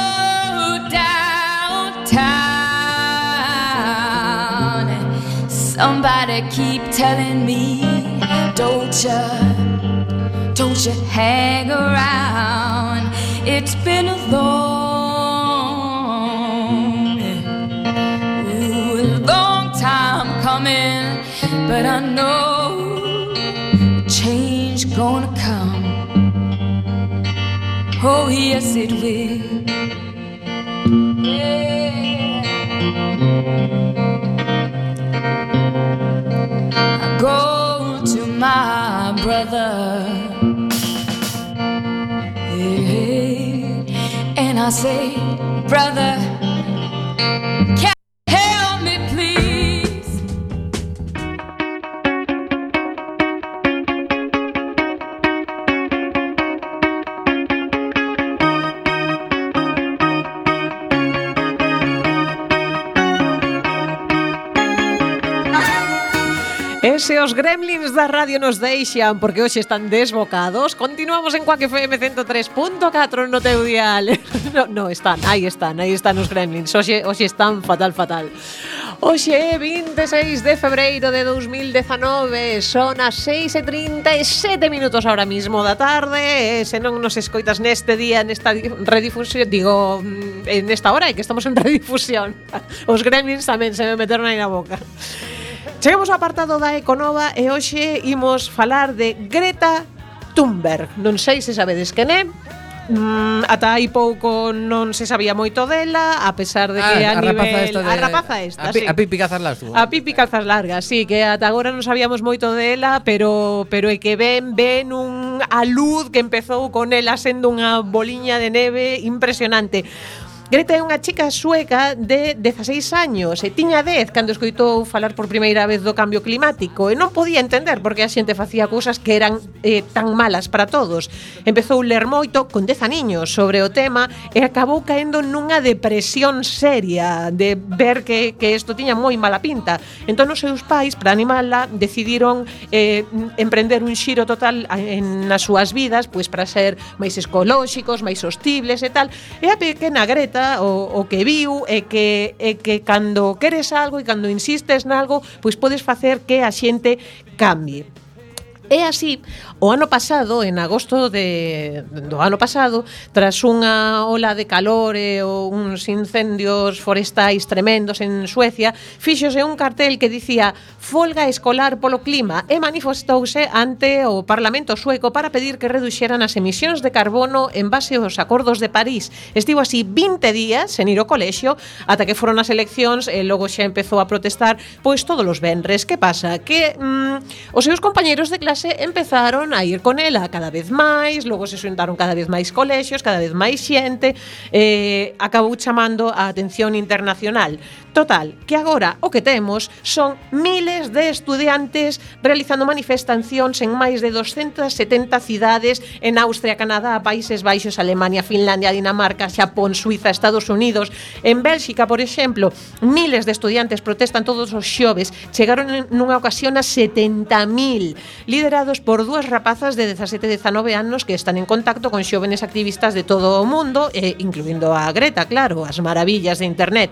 downtown. Somebody keep telling me, don't you hang around. It's been a long time coming, but I know change gonna come. Oh yes it will. Yeah. I go to my brother, yeah, and I I say, brother, can you help me please? E se os gremlins da radio nos deixan porque hoxe están desbocados, continuamos en Quack FM 103.4 no teu dial. No, están os gremlins. Hoxe están fatal. Hoxe é 26 de febreiro de 2019, son as 6:37 minutos ahora mismo da tarde. E se non nos escoitas neste día, nesta redifusión, digo, en esta hora que estamos en redifusión, os gremlins tamén se me meteron aí na boca. Chegamos ao apartado da Econova e hoxe imos falar de Greta Thunberg. Non sei se sabedes quen é. Ata hai pouco non se sabía moito dela, a pesar de que a nivel... A rapaza esta, sí. A Pipi Calzas Largas. A Pipi Calzas Largas, sí, que ata agora non sabíamos moito dela, pero é que ven a luz que empezou con ela sendo unha boliña de neve impresionante. Greta é unha chica sueca de 16 años e tiña 10 cando escoitou falar por primeira vez do cambio climático e non podía entender porque a xente facía cousas que eran tan malas para todos. Empezou a ler moito con 10 aniños sobre o tema e acabou caendo nunha depresión seria de ver que isto tiña moi mala pinta. Entón os seus pais, para animala, decidiron emprender un xiro total nas súas vidas, pois para ser máis ecolóxicos, máis sostibles e tal. E a pequena Greta o que viu é que cando queres algo e cando insistes nalgo, pois podes facer que a xente cambie. É así, o ano pasado, en agosto do ano pasado, tras unha ola de calor e uns incendios forestais tremendos en Suecia, fíxose un cartel que dicía folga escolar polo clima e manifestouse ante o Parlamento sueco para pedir que reduxeran as emisións de carbono en base aos acordos de París. Estivo así 20 días sen ir ao colexio ata que foron as eleccións e logo xa empezou a protestar pois todos os venres. Que pasa? Que os seus compañeiros de clase empezaron a ir con ela cada vez máis, logo se xuntaron cada vez máis colexios, cada vez máis xente, acabou chamando a atención internacional. Total, que agora o que temos son miles de estudiantes realizando manifestacións en máis de 270 cidades en Austria, Canadá, Países Baixos, Alemania, Finlandia, Dinamarca, Xapón, Suiza, Estados Unidos. En Bélxica, por exemplo, miles de estudiantes protestan todos os xoves, chegaron nunha ocasión a 70.000, liderados por dúas rapazas de 17 e 19 anos que están en contacto con xóvenes activistas de todo o mundo, incluindo a Greta, claro, as maravillas de internet.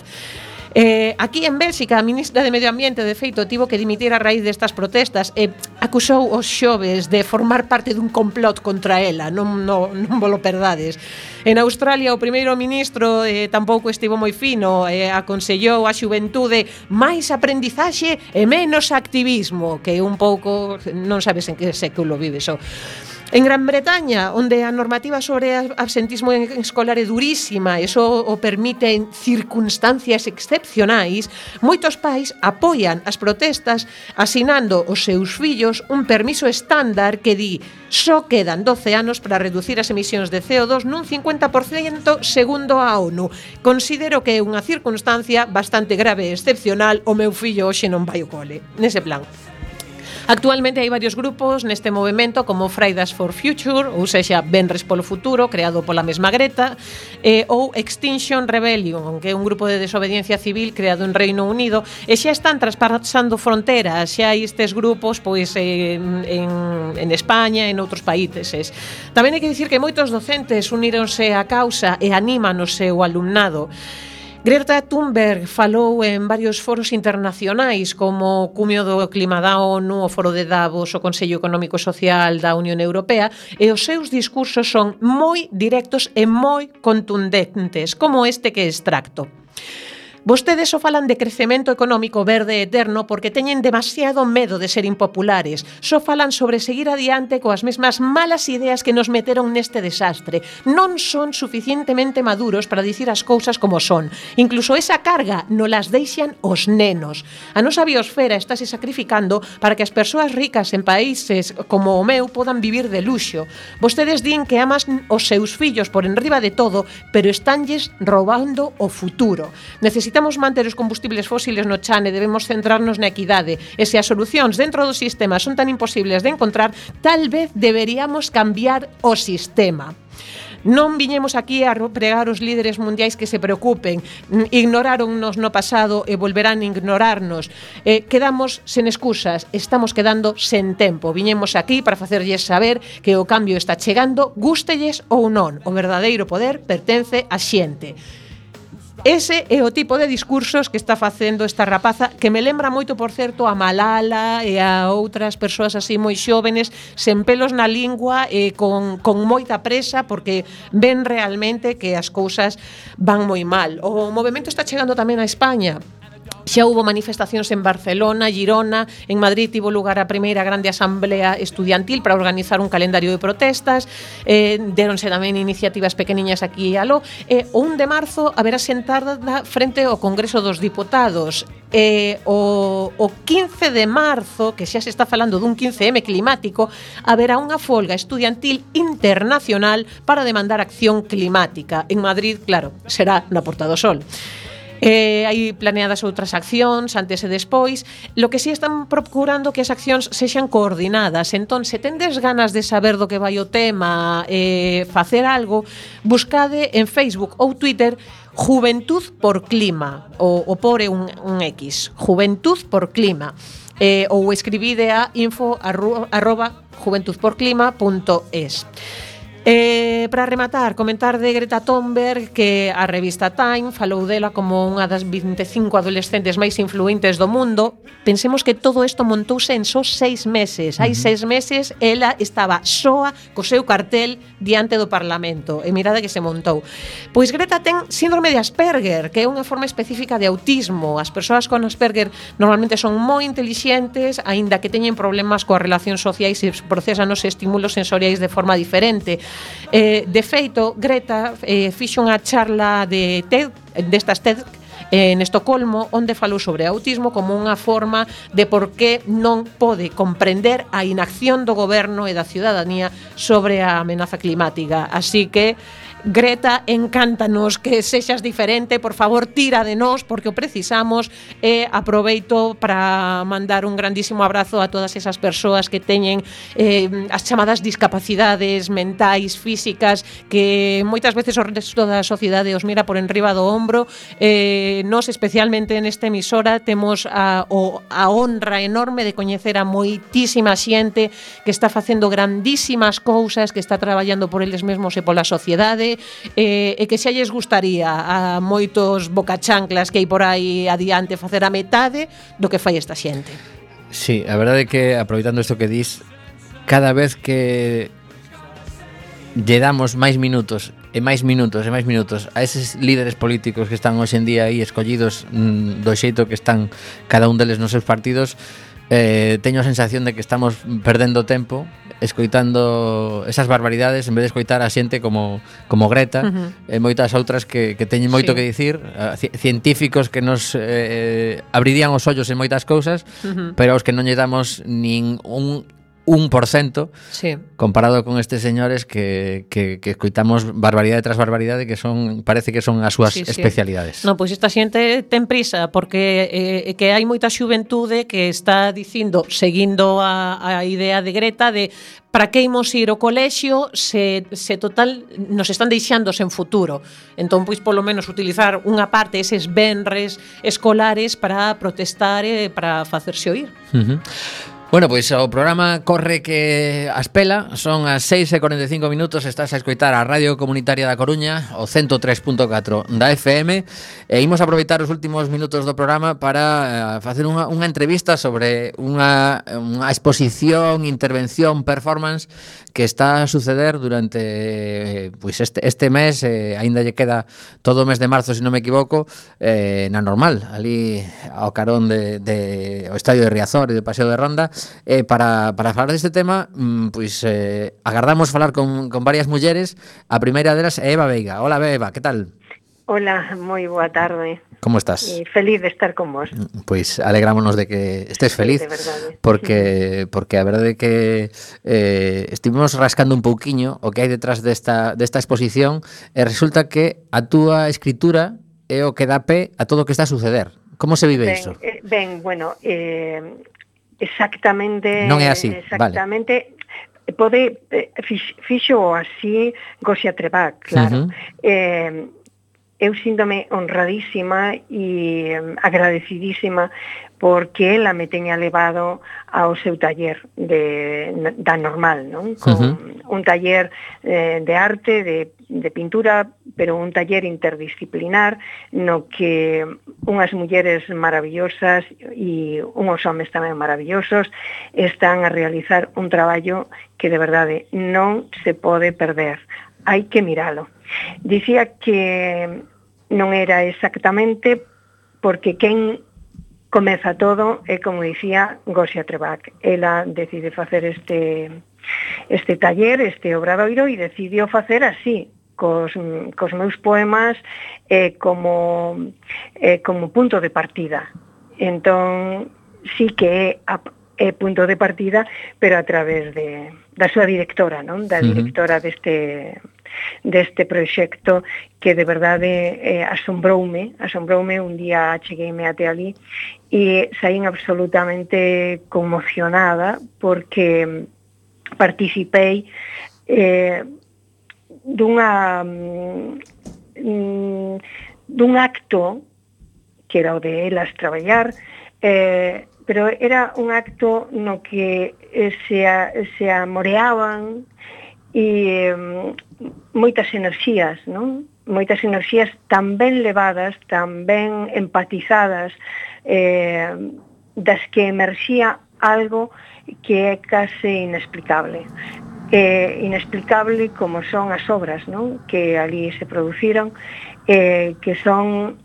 Aquí en Bélxica a ministra de Medio Ambiente de feito tivo que dimitir a raíz destas protestas e acusou os xoves de formar parte dun complot contra ela, non volo perdades. En Australia o primeiro ministro tampouco estivo moi fino, aconsellou a xuventude máis aprendizaxe e menos activismo, que un pouco non sabes en que século vives o. En Gran Bretaña, onde a normativa sobre absentismo escolar é durísima, eso o permite en circunstancias excepcionais, moitos pais apoian as protestas asinando os seus fillos un permiso estándar que di só quedan 12 anos para reducir as emisións de CO2 nun 50% segundo a ONU. Considero que é unha circunstancia bastante grave e excepcional, o meu fillo hoxe non vai ao cole. Nese plan. Actualmente hai varios grupos neste movemento como Fridays for Future, ou sexa, Venres polo Futuro, creado pola mesma Greta, ou Extinction Rebellion, que é un grupo de desobediencia civil creado en Reino Unido, e xa están traspasando fronteras, xa hai estes grupos pois en España e en outros países. Tamén hai que dicir que moitos docentes uníronse á causa e animan o seu alumnado. Greta Thunberg falou en varios foros internacionais como o Cumio do Clima da ONU, o Foro de Davos, o Consello Económico e Social da Unión Europea, e os seus discursos son moi directos e moi contundentes, como este que extracto. Vostedes só falan de crecemento económico verde eterno porque teñen demasiado medo de ser impopulares. Só falan sobre seguir adiante coas mesmas malas ideas que nos meteron neste desastre. Non son suficientemente maduros para dicir as cousas como son. Incluso esa carga non las deixan os nenos. A nosa biosfera estáse sacrificando para que as persoas ricas en países como o meu podan vivir de luxo. Vostedes din que aman os seus fillos por enriba de todo, pero estánlles roubando o futuro. Necesitamos manter os combustibles fósiles no chan e debemos centrarnos na equidade. E se as solucións dentro do sistema son tan imposibles de encontrar, tal vez deberíamos cambiar o sistema. Non viñemos aquí a pregar os líderes mundiais que se preocupen. Ignoráronnos no pasado e volverán a ignorarnos. Quedamos sen excusas, estamos quedando sen tempo. Viñemos aquí para facerlles saber que o cambio está chegando, gústelles ou non. O verdadeiro poder pertence á xente. Ese é o tipo de discursos que está facendo esta rapaza, que me lembra moito, por certo, a Malala e a outras persoas así moi xóvenes, sen pelos na lingua e con moita presa, porque ven realmente que as cousas van moi mal. O movemento está chegando tamén a España. Xa hubo manifestacións en Barcelona, Girona, en Madrid tivo lugar a primeira grande asamblea estudiantil para organizar un calendario de protestas, deronse tamén iniciativas pequeniñas aquí e aló, o 1 de marzo haberá sentada frente ao Congreso dos Diputados. O 15 de marzo, que xa se está falando dun 15M climático, haberá unha folga estudiantil internacional para demandar acción climática. En Madrid, claro, será na Porta do Sol. Hai planeadas outras accións antes e despois. Lo que sí están procurando que as accións sexan coordinadas. Entón, se tendes ganas de saber do que vai o tema, facer algo, buscade en Facebook ou Twitter Juventud por Clima, o pore un X, Juventud por Clima, ou escribide a info@juventudporclima.es. Para rematar, comentar de Greta Thunberg, que a revista Time falou dela como unha das 25 adolescentes máis influentes do mundo. Pensemos que todo isto montouse en só 6 meses. Hai 6 meses ela estaba soa co seu cartel diante do Parlamento, e mirada que se montou. Pois Greta ten síndrome de Asperger, que é unha forma específica de autismo. As persoas con Asperger normalmente son moi intelixentes, aínda que teñen problemas coas relacións sociais e procesan os estímulos sensoriais de forma diferente. De feito, Greta fixo unha charla de TED, destas TED en Estocolmo, onde falou sobre autismo como unha forma de por que non pode comprender a inacción do goberno e da ciudadanía sobre a amenaza climática. Así que Greta, encántanos que sexas diferente, por favor, tira de nós porque o precisamos, e aproveito para mandar un grandísimo abrazo a todas esas persoas que teñen as chamadas discapacidades mentais, físicas, que moitas veces o resto da sociedade os mira por enriba do ombro. Nós, especialmente nesta emisora, temos a honra enorme de coñecer a moitísima xente que está facendo grandísimas cousas, que está traballando por eles mesmos e pola sociedade, e que xa lles gustaría a moitos bocachanclas que hai por aí adiante facer a metade do que fai esta xente. Sí, a verdade é que, aproveitando isto que dis, cada vez que lle damos máis minutos e máis minutos e máis minutos a eses líderes políticos que están hoxe en día aí escollidos do xeito que están cada un deles nos seus partidos, teño a sensación de que estamos perdendo tempo escoitando esas barbaridades en vez de escoitar a xente como Greta e moitas outras que teñen moito que dicir, científicos que nos abrirían os ollos en moitas cousas, pero aos que non lle damos nin un 1% comparado con estes señores que escoitamos barbaridade tras barbaridade, que son, parece que son as súas especialidades. No, pois esta xente ten prisa porque que hai moita xuventude que está dicindo, seguindo a idea de Greta, de para que imos ir ao colexio se total nos están deixando sen futuro. Entón, pois polo menos utilizar unha parte eses venres escolares para protestar e para facerse oír. Bueno, pois o programa corre que a espela, son as 6:45 minutos, estás a escoitar a Radio Comunitaria da Coruña, o 103.4 da FM, e imos aproveitar os últimos minutos do programa para facer unha entrevista sobre unha exposición, intervención, performance que está a suceder durante pois este mes, aínda lle queda todo o mes de marzo, se non me equivoco, na Normal, ali ao carón de o Estadio de Riazor e do Paseo de Ronda. Para falar deste tema, pois agardamos falar con varias mulleres. A primeira delas é Eva Veiga. Hola, Eva, que tal? Hola, moi boa tarde. Como estás? Feliz de estar con vos. Pois alegrámonos de que estés feliz, sí, porque a verdade é que estivemos rascando un pouquiño o que hai detrás desta exposición e resulta que a túa escritura é o que dá pé a todo o que está a suceder. Como se vive iso? Bueno, exactamente. Non é así, exactamente, vale. Fixo así Gosia Trebach, claro. Eu síndome honradísima e agradecidísima porque ela me teña levado ao seu taller da Normal, non? Con un taller de arte, de pintura, pero un taller interdisciplinar no que unhas mulleres maravillosas e unhos homes tamén maravillosos están a realizar un traballo que de verdade non se pode perder. Hai que miralo. Dicía que non era exactamente porque quen comeza todo é, como dicía, Gosia Trebach. Ela decide facer este taller, este obradoiro, e decidiu facer así, cos meus poemas como punto de partida. Entón, sí que é punto de partida, pero a través da súa directora, non? Da directora deste proxecto, que de verdade asombroume. Un día chegueime até ali e saín absolutamente conmocionada porque participei dun acto que era o de elas traballar, pero era un acto no que se amoreaban e moitas enerxías, non? Moitas enerxías tan ben levadas, tan ben empatizadas, das que emerxía algo que é case inexplicable. Inexplicable como son as obras, non? Que ali se produciron, que son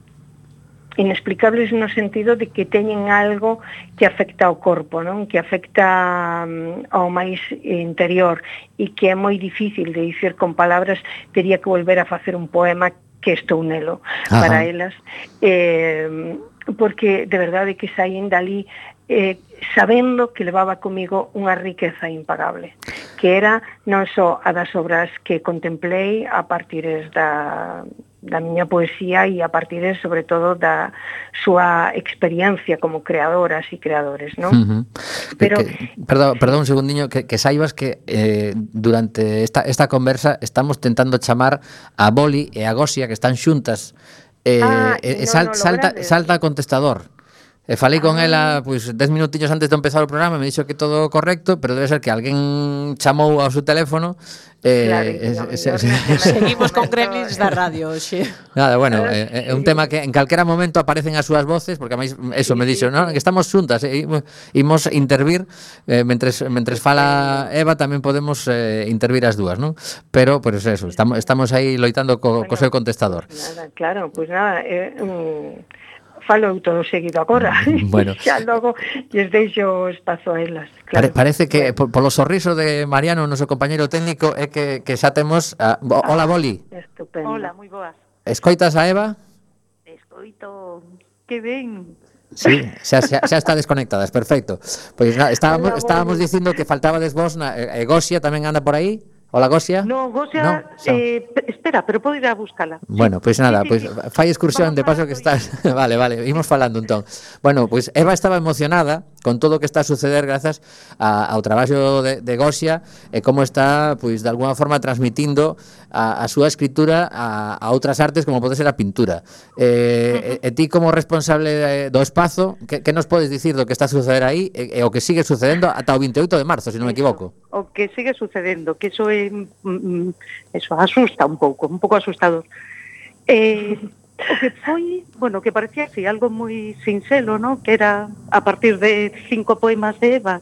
inexplicables no sentido de que teñen algo que afecta ao corpo, non? Que afecta ao máis interior e que é moi difícil de dicir con palabras. Tería que volver a facer un poema que estou nelo para elas, porque de verdade que saín dali sabendo que levaba comigo unha riqueza impagable, que era non só a das obras que contemplei a partir da miña poesía e a partir, sobre todo, da súa experiencia como creadoras e creadores, non? Pero perdón un segundiño, que saibas que durante esta conversa estamos tentando chamar a Boli e a Gosia, que están xuntas, salta a contestador. Falei con ela pois 10 minutiños antes de empezar o programa, me dixo que todo correcto, pero debe ser que alguén chamou ao seu teléfono. Seguimos con gremlins da radio hoxe. Nada, bueno, é un tema que en calquera momento aparecen as súas voces, porque a máis eso me dixo, non? Que estamos xuntas, imos intervir mentres fala Eva, tamén podemos intervir as dúas, non? Pero por eso, estamos aí loitando co seu contestador. Nada, claro, pois nada, falo todo seguido agora. Bueno. Xa logo lles deixo espazo a elas. Claro. Parece que polo sorriso de Mariano, o noso compañeiro técnico, é que xa temos hola, Boli. Estupendo. Hola, moi boas. Escoitas a Eva? Escoito. Que ben. Sí, xa está desconectada, es perfecto. Pois estábamos dicindo que faltabades vos, Gosia tamén anda por aí. Hola, Gosia. No, Gosia, espera, pero podo ir a buscala. Bueno, pois nada, pois fai excursión de paso que estás. Vale, imos falando entón. Bueno, pois Eva estaba emocionada con todo o que está a suceder grazas ao traballo de Gosia e como está, pois de alguna forma transmitindo a súa escritura a outras artes como pode ser a pintura. E ti como responsable do espazo, que nos podes dicir do que está a suceder aí e o que sigue sucedendo ata o 28 de marzo, se non me equivoco? O que sigue sucedendo, que eso asusta un pouco asustador. O que foi, bueno, que parecía así algo moi sinxelo, ¿no? Que era a partir de 5 poemas de Eva,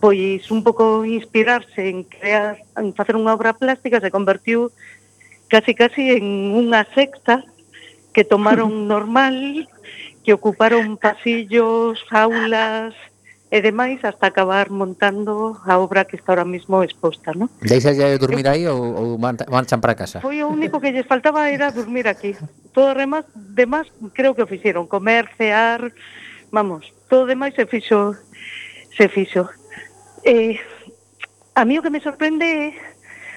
pois un pouco inspirarse en crear, en facer unha obra plástica, se convertiu casi en unha secta que tomaron normal, que ocuparon pasillos, aulas e demais hasta acabar montando a obra que está ahora mismo exposta, ¿no? Deixas de dormir aí ou marchan para casa? Foi o único que lles faltaba era dormir aquí. Todo demás creo que o fixeron, comer, cear, vamos, todo demais se fixo. A mí o que me sorprende,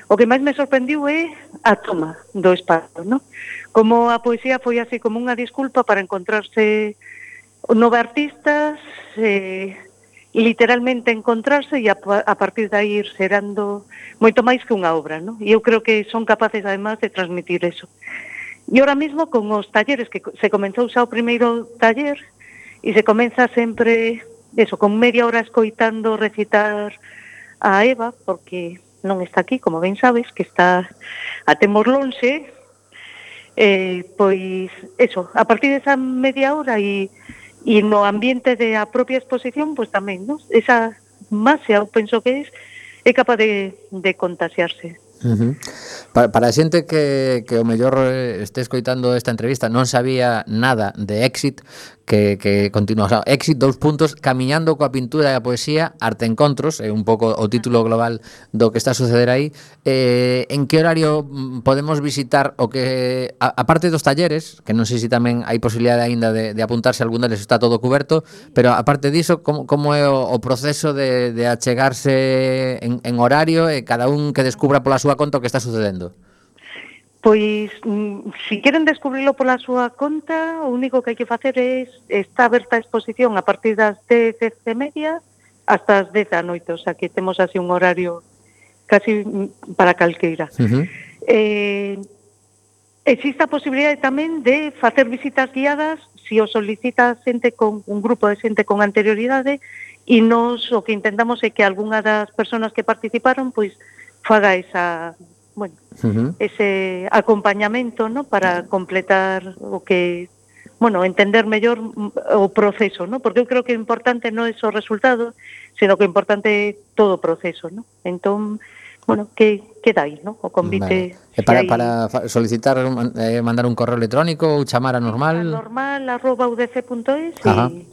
o que máis me sorprendiu é a toma do espazo, ¿no? Como a poesía foi así como unha disculpa para encontrarse nove artistas, literalmente encontrarse e a partir de aí ir xerando moito máis que unha obra, ¿no? E eu creo que son capaces además de transmitir eso. E ahora mismo con os talleres, que se comenzou xa o primeiro taller e se comeza sempre eso, con media hora escoitando recitar a Eva, porque non está aquí, como ben sabes, que está a temos lonxe, pois eso, a partir desa media hora e no ambiente da propia exposición, pois tamén, ¿no? Esa máxia, eu penso que é capaz de contaxiarse. Para a xente que o mellor este escoitando esta entrevista non sabía nada de Exit, que continúa, o sea, Exit, camiñando coa pintura e a poesía, Arte Encontros, é un pouco o título global do que está a suceder aí. En que horario podemos visitar o que, a parte dos talleres, que non sei se tamén hai posibilidade aínda de apuntarse a algún deles, está todo coberto, pero aparte diso, como é o proceso de achegarse en horario e cada un que descubra pola súa conta o que está sucedendo? Pois, si queren descubrilo pola súa conta, o único que hai que facer está aberta a exposición a partir das 10:30 hasta as 10 da noite, o sea que temos así un horario casi para calqueira. Existe a posibilidade tamén de facer visitas guiadas se o solicita xente con un grupo de xente con anterioridade e nos o que intentamos é que algunha das persoas que participaron pois faga esa, bueno, ese acompañamento, ¿no? Para completar o que, bueno, entender mellor o proceso, ¿no? Porque eu creo que o importante non é só o resultado, sino que o importante é todo o proceso, ¿no? Entón, bueno, que dai, ¿no? O convite. Vale. Para solicitar, mandar un correo electrónico ou chamar a normal? A normal@udc.es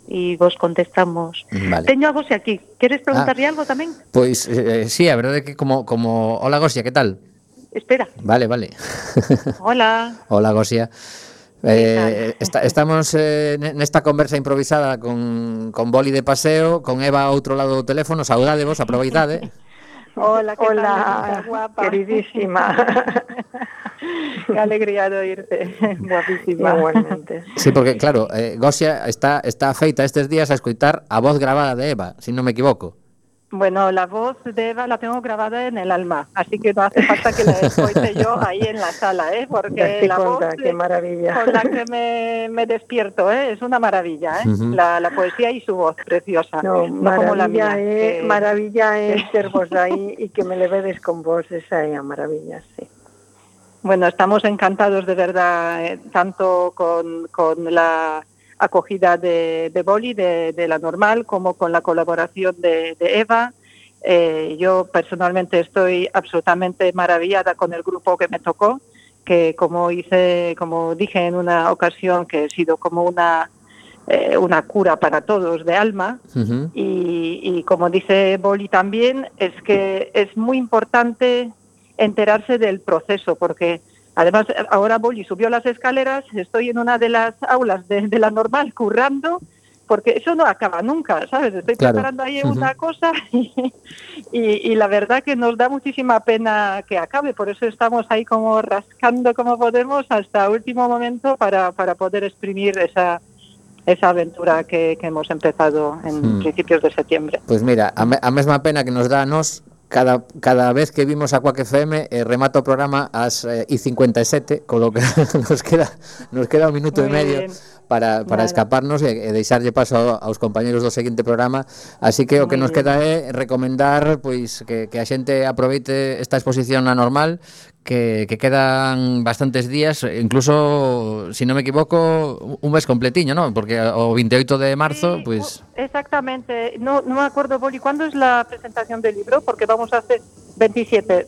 e vos contestamos. Vale. Teño a Gosia aquí. Queres preguntarle algo tamén? Pois, sí, a verdade é que como... Hola, Gosia, que tal? Espera. Vale. Hola. Hola, Gosia. Estamos nesta conversa improvisada con Boli de paseo, con Eva ao outro lado do teléfono. Saudadevos, aproveitade. Hola, ¿qué tal, guapa? Queridísima. Qué alegría de oírte, guapísima. Igualmente. Sí, porque claro, Gosia está feita estes días a escoitar a voz grabada de Eva, si non me equivoco. Bueno, la voz de Eva la tengo grabada en el alma, así que no hace falta que la escuche yo ahí en la sala, porque la voz qué maravilla. con la que me despierto, es una maravilla, la poesía y su voz preciosa. No como la mía. Maravilla es ser vos ahí y que me levedes con vos, esa es maravilla, sí. Bueno, estamos encantados de verdad, tanto con la acogida de Boli, de la normal, como con la colaboración de Eva. Yo personalmente estoy absolutamente maravillada con el grupo que me tocó, que como dije en una ocasión, que ha sido como una cura para todos de alma. Y como dice Boli también, es que es muy importante enterarse del proceso, porque además, ahora Boli subió las escaleras, estoy en una de las aulas de la normal currando, porque eso no acaba nunca, ¿sabes? Estoy preparando ahí una cosa y la verdad que nos da muchísima pena que acabe, por eso estamos ahí como rascando como podemos hasta último momento para poder exprimir esa aventura que hemos empezado en principios de septiembre. Pues mira, a mesma pena que nos dá a nos cada vez que vimos a Quack FM remata o programa ás 57, con lo que nos queda un minuto e medio para escaparnos e deixarlle paso aos compañeros do seguinte programa, así que o que nos queda é recomendar pois que a xente aproveite esta exposición anormal, que quedan bastantes días, incluso, si non me equivoco, un mes completiño, ¿no? Porque o 28 de marzo, pues... Exactamente. No me acuerdo, Boli, ¿cuándo es la presentación del libro? Porque vamos a hacer 27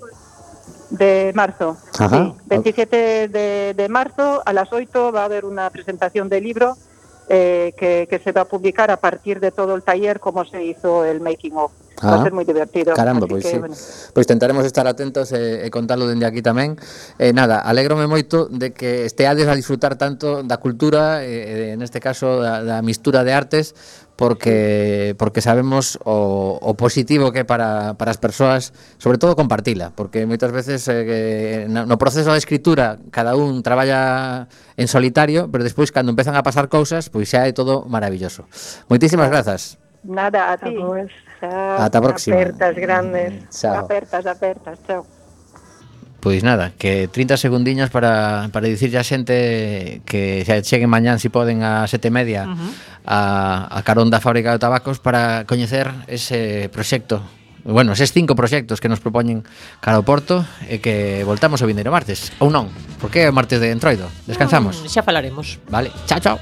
de marzo. Ajá. Sí, 27 de marzo a las 8 va a haber una presentación del libro que se va a publicar a partir de todo el taller, como se hizo el making of. Va a ser moi divertido. Caramba, pois sí. Bueno. Pois tentaremos estar atentos e contalo dende aquí tamén. Nada, alégrome moito de que esteades a disfrutar tanto da cultura, neste caso da mistura de artes, porque sabemos o positivo que é para as persoas, sobre todo compartila, porque moitas veces no proceso de escritura cada un traballa en solitario, pero despois cando empezan a pasar cousas, pois xa é todo maravilloso. Moitísimas grazas. Nada, a ti. Ata a próxima. Apertas grandes. Chao. Apertas, chao. Pois nada, que 30 segundiños para dicirlle a xente que xa cheguen mañán, si poden, a 7:30 a carón da fábrica de tabacos para coñecer ese proxecto. Bueno, eses 5 proxectos que nos propoñen cara ao Porto e que voltamos o vindeiro martes, ou non, porque é o martes de Entroido. Descansamos. Xa falaremos. Vale, chao.